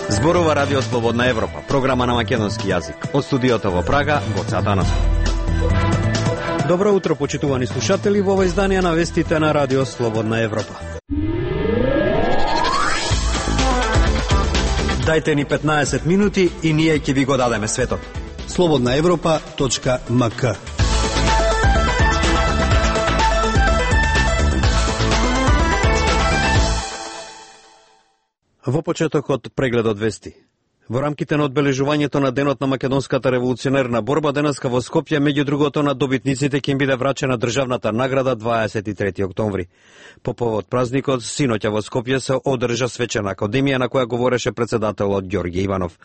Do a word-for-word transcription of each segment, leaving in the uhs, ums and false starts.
Зборува Радио Слободна Европа, програма на македонски јазик. Од студиото во Прага, Гоце Атанасов. Добро утро, почитувани слушатели, во ова издание на вестите на Радио Слободна Европа. Дајте ни петнаесет минути и ние ќе ви го дадеме светот. слободна европа точка ем ка. Во почетокот прегледот вести. Во рамките на одбележувањето на денот на македонската револуционерна борба, денеска во Скопје, меѓу другото на добитниците ќе им биде врачена државната награда дваесет и трети октомври. По повод празникот, синоќа во Скопје се одржа свечена академија на која говореше председателот Ѓорѓе Иванов.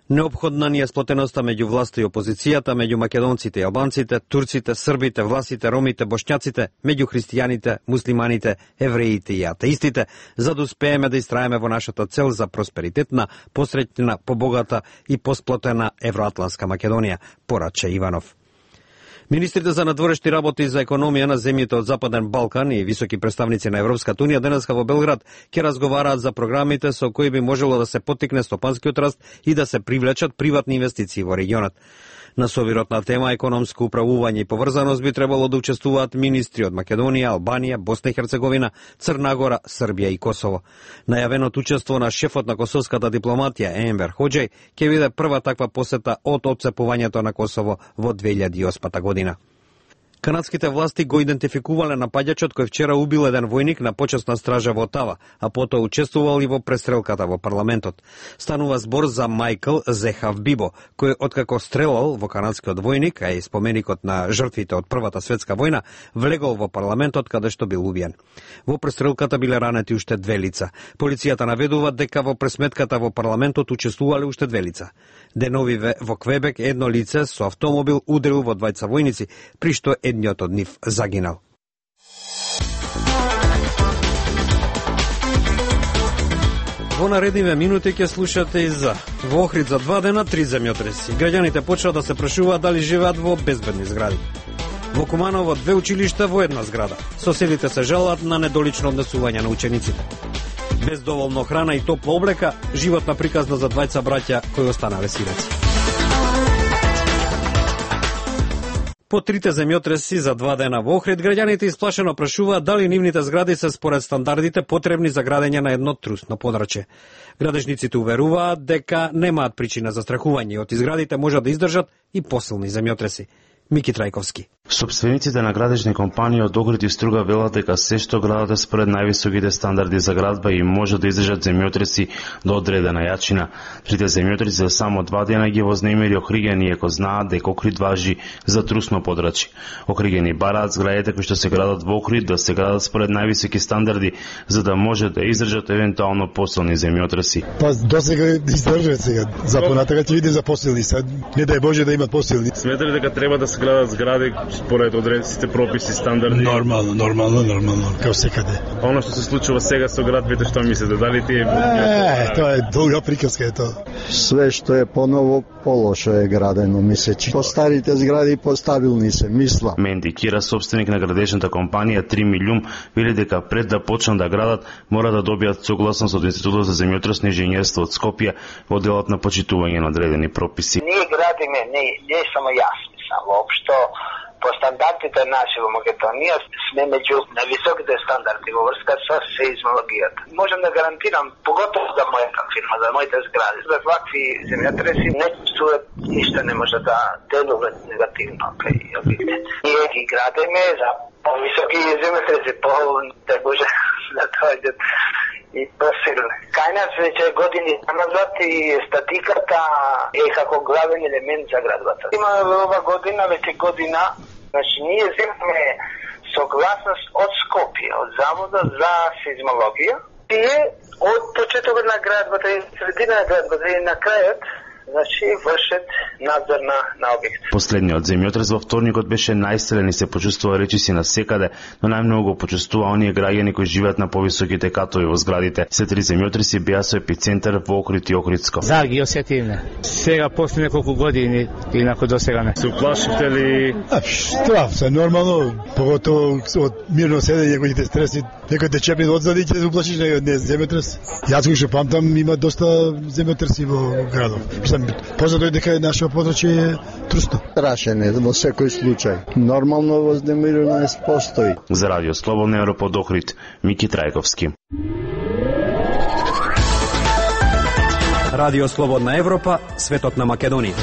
Неопходна ни е сплотеноста меѓу власта и опозицијата, меѓу македонците и албанците, турците, србите, власите, ромите, бошњаците, меѓу христијаните, муслиманите, евреите и атеистите, за да успееме да истраеме во нашата цел за просперитетна, посреќна, побогата и посплотена евроатлантска Македонија, порача Иванов. Министрите за надворешни работи и за економија на земјите од Западен Балкан и високи представници на Европската унија денеска во Белград ќе разговараат за програмите со кои би можело да се поттикне стопанскиот раст и да се привлечат приватни инвестиции во регионот. На собирот на тема економско управување и поврзаност би требало да учествуваат министри од Македонија, Албанија, Босна и Херцеговина, Црна Гора, Србија и Косово. Најавеното учество на шефот на косовската дипломатија Енвер Хоџеј ќе биде прва таква посета од отцепувањето на Косово во две илјади и осма година. Канадските власти го идентификувале напаѓачот кој вчера убил еден војник на почесна стража во Тава, а потоа учествувал и во престрелката во парламентот. Станува збор за Мајкл Зехав Бибо, кој откако стрелал во канадскиот војник, а и споменикот на жртвите од Првата светска војна, влегол во парламентот каде што бил убиен. Во престрелката биле ранети уште две лица. Полицијата наведува дека во пресметката во парламентот учествувале уште две лица. Деновиве во Квебек едно лице со автомобил удрил во двајца војници, при што едниот од нив загинал. Во наредниве минути ќе слушате и за во Охрид за два дена три земјотреси. Граѓаните почнаа да се прашуваат дали живеат во безбедни згради. Во Куманово две училишта во една зграда. Соседите се жалат на недолично однесување на учениците. Без доволно храна и топла облека, животна приказна за двајца браќа кои останале сираци. По трите земјотреси за два дена во Охрид, граѓаните исплашено прашуваат дали нивните згради се според стандардите потребни за градење на едно трусно подрачје. Градежниците уверуваат дека немаат причина за страхување и од изградите можат да издржат и посилни земјотреси. Мики Трајковски. Собствениците на градежни компании од Охрид и Струга велат дека се што градат е според највисоките стандарди за градба и може да издржат земјотреси до одредена јачина. Трите земјотреси за само два дена ги вознемири Охриѓани, иако знаат дека Охрид важи за трусно подрачје. Охриѓани бараат зградите кои што се градат во Охрид да се градат според највисоки стандарди за да може да издржат евентуално посилни земјотреси. Па досега издржат сега. За понатака ќе видим за посилни, сега не дај Боже да имат посилни. Сметате дека треба да се градат згради според одредените прописи, стандарди? Нормално, нормално, нормално, као секаде. А оно што се случува сега со градбите, што мислите, дали тие... Е, тоа е долга приказка е тоа. Све што е поново, полошо е градено, мислечи. По старите згради постабилни се, мисла. Менди Кира, собственик на градежната компанија три милиум, вели дека пред да почнат да градат, мора да добијат согласност од Институтот за земјотресно инженерство од Скопје во делот на почитување на одредени прописи. Ние градиме, не, не само јас, мислам, воопшто по стандардите наши во Македонија сме меѓу највисоките стандарди во врска со сеизмологијата. Можам да гарантирам, поготово за мојата фирма, за моите згради, за вакви земјотреси не чувствуват, ништо не може да делува негативно кај објектите. Ние ги градиме за повисоки земјотреси, по да може да дојдат и посилни. Кај нас веќе години назад и статиката е како главен елемент за градбата. Има ова година, веќе година, значи ние земаме согласност од Скопје, од Завода за сеизмологија, и од почетокот на градбата и средина на градбата и на крајот значи вршат надзор на, на објект. Последниот земјотрес во вторникот беше најсилен и се почувствува речиси на секаде, но најмногу го почувствува оние граѓани кои живеат на повисоките катови во зградите. Се три земјотреси беа со епицентар во Охрид и Охридско. За ги осетивме. Сега после неколку години инако досега не. Се уплашите ли? А, штраф се нормално, поготово од мирно седење кои те стреси, некој те чепне одзади ќе се уплашиш на не земјотрес. Јас кој што памтам има доста земјотреси во градов. Мислам, познато е дека нашето подрачје е трусто. Страшен е во секој случај. Нормално вознемиреност постои. За Радио Слободна Европа од Охрид, Мики Трајковски. Радио Слободна Европа, светот на Македонија.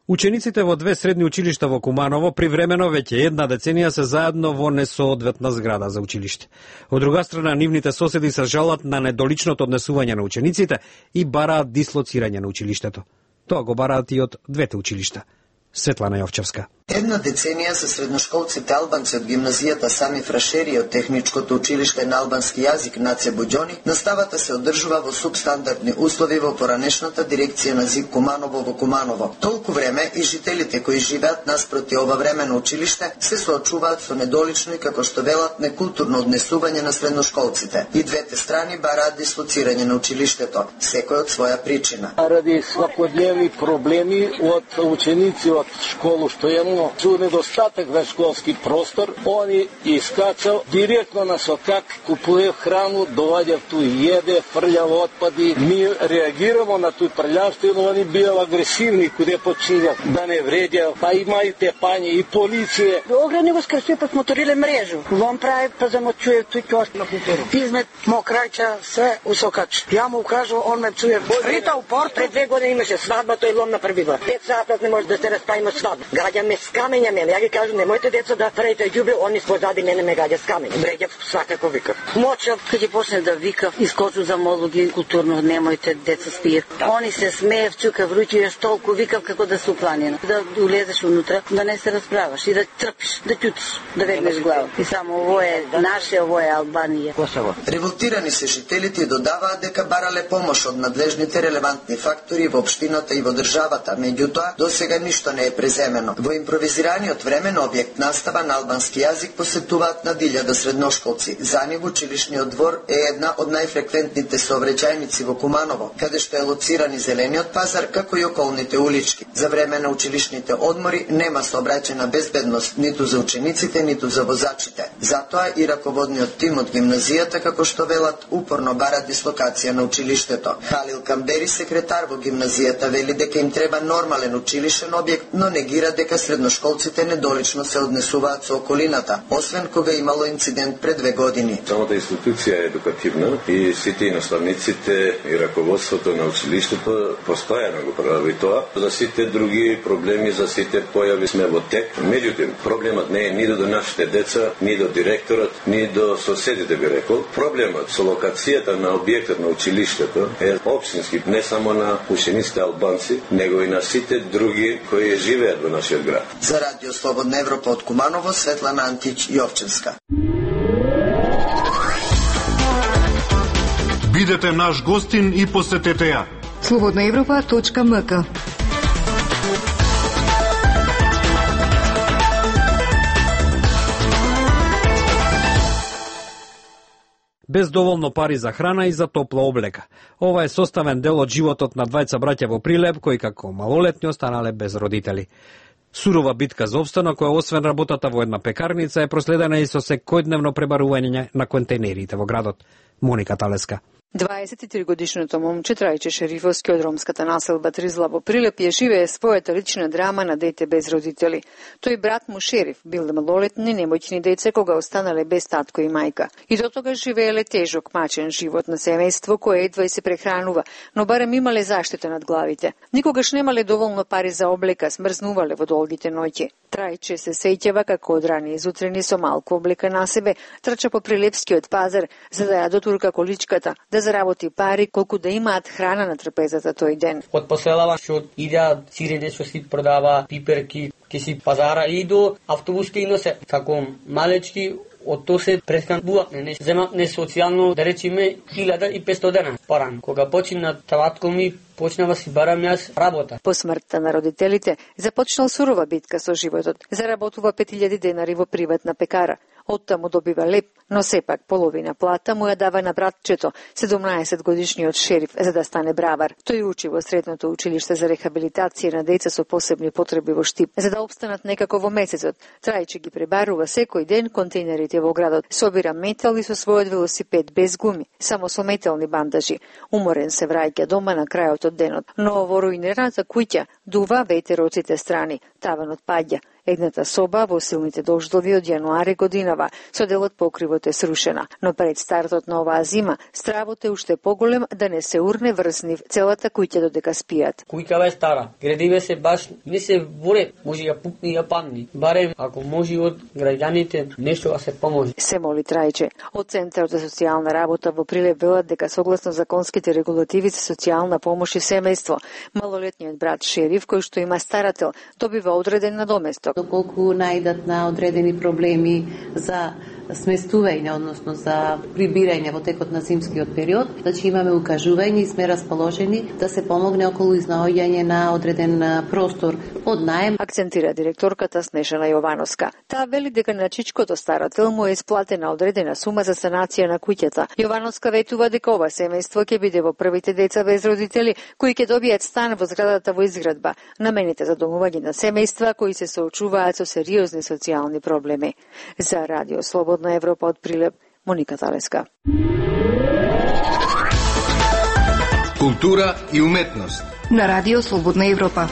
Учениците во две средни училишта во Куманово привремено веќе една деценија се заедно во несоодветна зграда за училиште. Од друга страна, нивните соседи се жалат на недоличното однесување на учениците и бараат дислоцирање на училиштето. Тоа го бараат и од двете училишта. Светлана Јовчевска. Една деценија за средношколците албанци од гимназијата Сами Фрашери и од техничкото училиште на албански јазик Наце Буџони, наставата се одржува во субстандардни услови во поранешната дирекција на ЗИК Куманово во Куманово. Толку време и жителите кои живеат наспроти ова времено училиште се соочуваат со недолично и како што велат некултурно однесување на средношколците. И двете страни бараат дислоцирање на училиштето, секој од своја причина. Ради свакодневни проблеми од ученици од школу што имamo со недостаток на школски простор, они искачал директно на сокак, купуе храну, доваѓа ту једе, фрљава отпади. Ми реагирamo на тој прљавство, но они бил агресивни куде починјат да не вредја, па има и тепање и полиција. Ограни го скрши па смоториле мрежу. Вон прави па замочуе тој ќост на путеру. Измет мокрајча се усокач. Ја му кажу, он ме чуе. Рита у порт пред две години имаше свадба, тој лом на првива. Пет сата не може да се распаима свадба. Гаѓаме с камења ме. Ја ги кажу, немојте деца да правите ѓубре, они позади мене ме гаѓа с камења. Бреѓав свакако викав. Мочав, кога ќе почне да викав, искочу за молуги културно, немојте деца спијат. Они се смеев, чука вруќи, јас толку викав како да се упланина. Да улезеш унутра, да не се расправаш и да трпиш, да ќутиш, да вегнеш глава. И само ово е наше, ово е Албанија. Косово. Револтирани се жителите додаваат дека барале помош од надлежните релевантни фактори во општината и во државата, меѓутоа досега ништо не е преземено. Во импровизираниот времен објект настава на албански јазик посетуваат над илјада средношколци. За нив училишниот двор е една од најфреквентните сообраќајници во Куманово, каде што е лоциран и зелениот пазар, како и околните улички. За време на училишните одмори нема сообраќајна безбедност ниту за учениците, ниту за возачите. Затоа и раководниот тим од гимназијата, како што велат, упорно бара дислокација на училиштето. Халил Камбери, секретар во гимназијата, вели дека им треба нормален училишен објект, но негира дека средношколците недолично се однесуваат со околината, освен кога имало инцидент пред две години. Самата институција е едукативна и сите и наставниците и раководството на училиштето постојано го прави тоа. За сите други проблеми, за сите појави сме во тек. Меѓутоа, проблемот не е ни до нашите деца, ни до директорот, ни до соседите, би рекол. Проблемот со локацијата на објектот на училиштето е општински, не само на учениците албанци, него и на сите други кои живеат во нашиот град. За Радио Слободна Европа од Куманово, Светлана Антич Јовчевска. Бидете наш гостин и посетете ја. слободна европа точка ем ка. Без доволно пари за храна и за топла облека. Ова е составен дел од животот на двајца браќа во Прилеп, кои како малолетни останале без родители. Сурова битка за опстанок, која освен работата во една пекарница е проследена и со секојдневно пребарување на контейнерите во градот. Моника Талеска. дваесет и три годишното момче Трајче Шерифовски од ромската населба Тризла во Прилеп ја живее својата лична драма на дете без родители. Тој брат му Шериф бил малолетни немоćни деца кога останале без татко и мајка. И до тога живееле тежок мачен живот на семејство кое едва и се прехранува, но барем имале заштита над главите. Никогаш немале доволно пари за облека, смрзнувале во долгите ноќи. Трајче се сеќава како од рани изутрени со малку облека на себе, трча по Прилепскиот пазар за да ја дотурка количката, да заработи пари колку да имаат храна на трпезата тој ден. Од поселава што идеа сиреде што си продава, пиперки, ке си пазара и до автобус ке иносе. Како малечки од тоа се пресканував, не земав не социјално, да речеме илјада и петстотини дена порано. Кога почина татко ми, почнава си барам јас работа. По смртта на родителите започнал сурова битка со животот. Заработува пет илјади денари во приватна пекара. Оттаму добива леп, но сепак половина плата му ја дава на братчето, седумнаесет годишниот шериф, за да стане бравар. Тој учи во средното училиште за рехабилитација на деца со посебни потреби во Штип. За да обстанат некако во месецот, Трајче ги пребарува секој ден контейнерите во градот. Собира метал и со својот велосипед без гуми, само со метални бандажи. Уморен се враќа дома на крајот од денот, но во руинираната куќа дува ветер од сите страни, таванот паѓа. Едната соба во силните дождови од јануари годинава, со делот покривот е срушена, но пред стартот на оваа зима, стравот е уште поголем да не се урне врз нив целата куќа додека спијат. Куќава е стара, градиве се баш не се воре, може ја пукни и ја падни. Барем ако може од граѓаните нешто да се поможе. Се моли Трајче. Од Центарот за социјална работа во Прилеп велат дека согласно законските регулативи за социјална помош и семејство, малолетниот брат Шериф, кој што има старател, добива одреден надоместок. Доколку најдат на одредени проблеми за сместување, односно за прибирање во текот на зимскиот период, значи имаме укажување и сме расположени да се помогне околу изнаоѓање на одреден простор од наем. Акцентира директорката Снежана Јовановска. Таа вели дека на чичкото старател му е исплатена одредена сума за санација на куќата. Јовановска ветува дека ова семејство ќе биде во првите деца без родители кои ќе добијат стан во зградата во изградба, намените за домување на семејства кои се соочуваат со сериозни социјални проблеми. За Радио Слободна Европа од Прилеп, Моника Талеска. Култура и уметност на Радио Слободна Европа.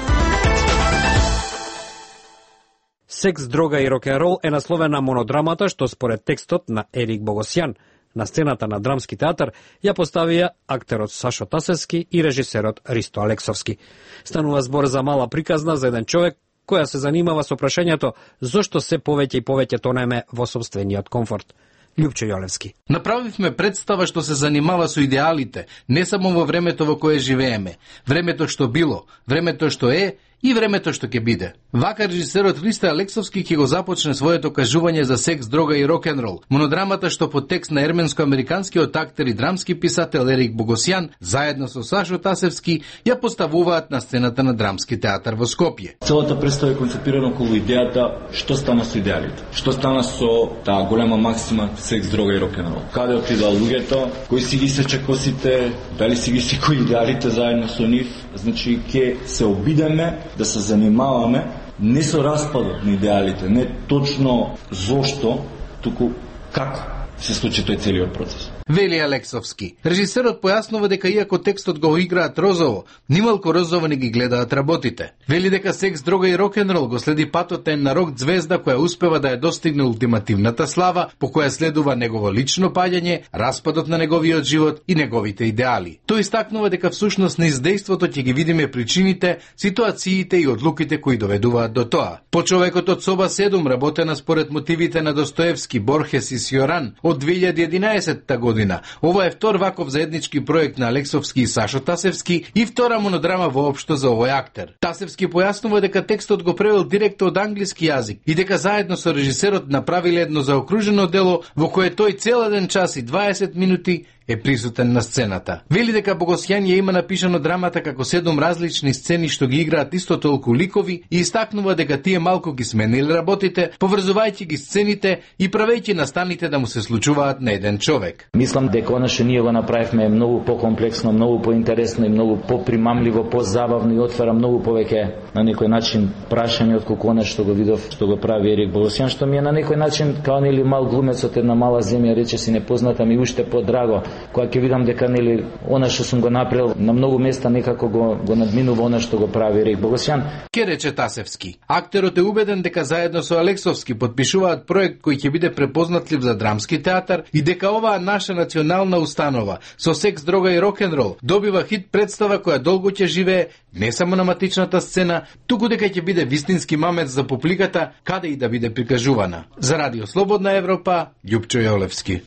Секс, дрога и рок-н-рол е насловена монодрамата што според текстот на Ерик Богосјан на сцената на Драмски театар ја поставија актерот Сашо Тасевски и режисерот Ристо Алексовски. Станува збор за мала приказна за еден човек која се занимава со прашањето зошто се повеќе и повеќе тонеме во собствениот комфорт. Љупчо Јолевски. Направивме представа што се занимава со идеалите, не само во времето во кое живееме, времето што било, времето што е и времето што ќе биде. Вака режисерот Ристо Алексовски ќе го започне своето кажување за секс, дрога и рок-н-рол. Монодрамата што по текст на ерменско-американскиот актер и драмски писател Ерик Богосјан, заедно со Сашо Тасевски, ја поставуваат на сцената на Драмски театар во Скопје. Целата представа е концепирана околу идејата што стана со идеалите. Што стана со таа голема максима секс, дрога и рок-н-рол. Каде отидаа луѓето, кои си ги сече косите, дали си ги секои идеалите заедно со нив. Значи ќе се обидеме да се занимаваме не со распадот на идеалите, не точно зошто, туку како се случи тој целиот процес. Вели Алексовски. Режисерот појаснува дека иако текстот го играат розово, нималку розово не ги гледаат работите. Вели дека секс, дрога и рок-н-рол го следи патот на рок звезда која успева да ја достигне ултимативната слава, по која следува негово лично паѓање, распадот на неговиот живот и неговите идеали. Тој истакнува дека всушност на издејството ќе ги видиме причините, ситуациите и одлуките кои доведуваат до тоа. По човекот од соба седум, работена според мотивите на Достоевски, Борхес и Сјоран од две илјади и единаесетта година. Ова е втор ваков заеднички проект на Алексовски и Сашо Тасевски и втора монодрама воопшто за овој актер. Тасевски појаснува дека текстот го превел директно од англиски јазик и дека заедно со режисерот направиле едно заокружено дело во кое тој цел еден час и дваесет минути е присутен на сцената. Вели дека Богосјан ја има напишано драмата како седум различни сцени што ги играат исто толку ликови и истакнува дека тие малку ги смениле работите, поврзувајќи ги сцените и правејќи настаните да му се случуваат на еден човек. Мислам дека она што ние го направивме е многу покомплексно, многу поинтересно и многу попримамливо, позабавно и отвара многу повеќе на некој начин прашање отколку она што го видов што го прави Ерик Богосјан, што ми е на некој начин као нели мал глумец од една мала земја, рече си непозната ми уште подраго. Кога ќе видам дека нели она што сум го направил на многу места некако го го надминува она што го прави Ерик Богосјан. Ке рече Тасевски. Актерот е убеден дека заедно со Алексовски подпишуваат проект кој ќе биде препознатлив за Драмски театар и дека оваа наша национална установа со секс, дрога и рок-н-рол добива хит представа која долго ќе живее не само на матичната сцена, туку дека ќе биде вистински мамец за публиката каде и да биде прикажувана. За Радио Слободна Европа, Љупчо Јолевски.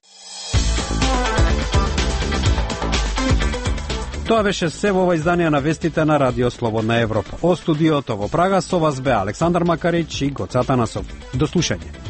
Тоа беше се во ова издание на вестите на Радио Слободна Европа. О студиото во Прага со вас бе Александар Макарич и Гоца Танасов. До слушање.